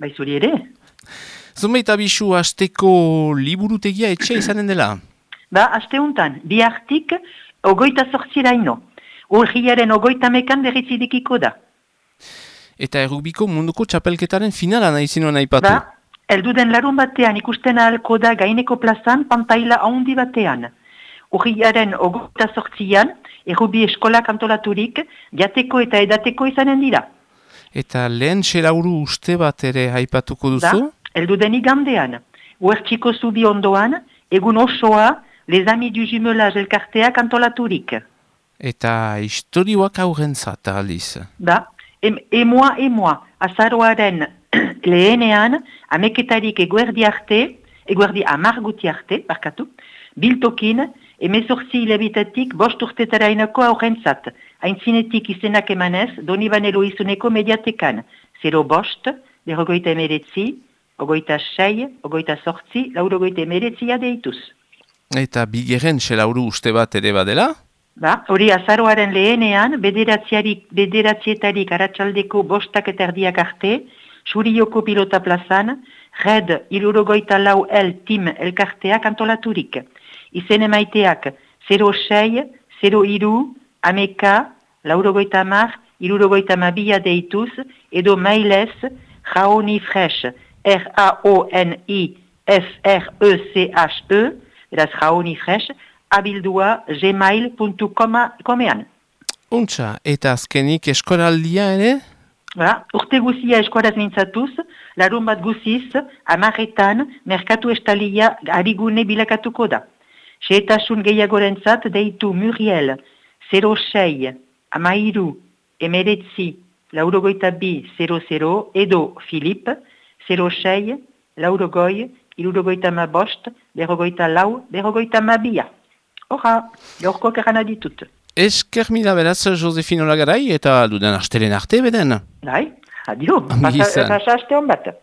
Bai zuri ere. Zunbait abisu hasteko liburutegia etxe izanen dela? Aste honetan, bihartik 28 urriaren 30ean berrizidikiko da. Eta errubiko munduko txapelketaren finala nahi zinuen aipatu? Elduden larun batean ikusten ahalko da gaineko plazan pantaila handi batean. Urriaren 28an, errubi eskolak antolaturik, jateko eta edateko izanen dira. Eta lehen xelauru uste bat ere aipatuko duzu? Elduden igandean, Uertxiko zubi ondoan, egun osoa, Les Amis du Jumelage elkarteak antolaturik. Eta historioak aurrentzat aliz? Emoa, azaroaren lehenean, ameketarik eguerdi amarguti arte, biltokin, 18 hilabitatik 5 urtetarainako aurrentzat, haintzinetik izenak emanez, Donibane Loizuneko mediatekan, 05, 49, 26, 28, 49 deituz. Eta bigeren xelauru uste bat ere badela? Hori azaroaren lehenean, bederatzietarik aratsaldeko 5 eta erdiak arte, Surioko pilota plazan, Red 64L Team elkarteak antolaturik. Izen emaiteak 06, 03, ameka, 90, 62 deituz, edo mailez, Raonifresh, RAONIFRECHE, beraz Raonifresh, abildua gmail.comean. Untxa, eta azkenik eskoraldia ere? Urte guzia eskoraz mintzatuz, larun bat guziz, 10etan, merkatu estalia arigune bilakatuko da. Xehetasun gehiagorentzat deitu Muriel, 06, 13, 92, 00, edo Filip, 06, 90, 75, 54, Horra, gaurko kerana ditut. Esker mila beraz, Josefino Lagarai, eta duden astelen arte beden. Adio, pasa aste hon bat.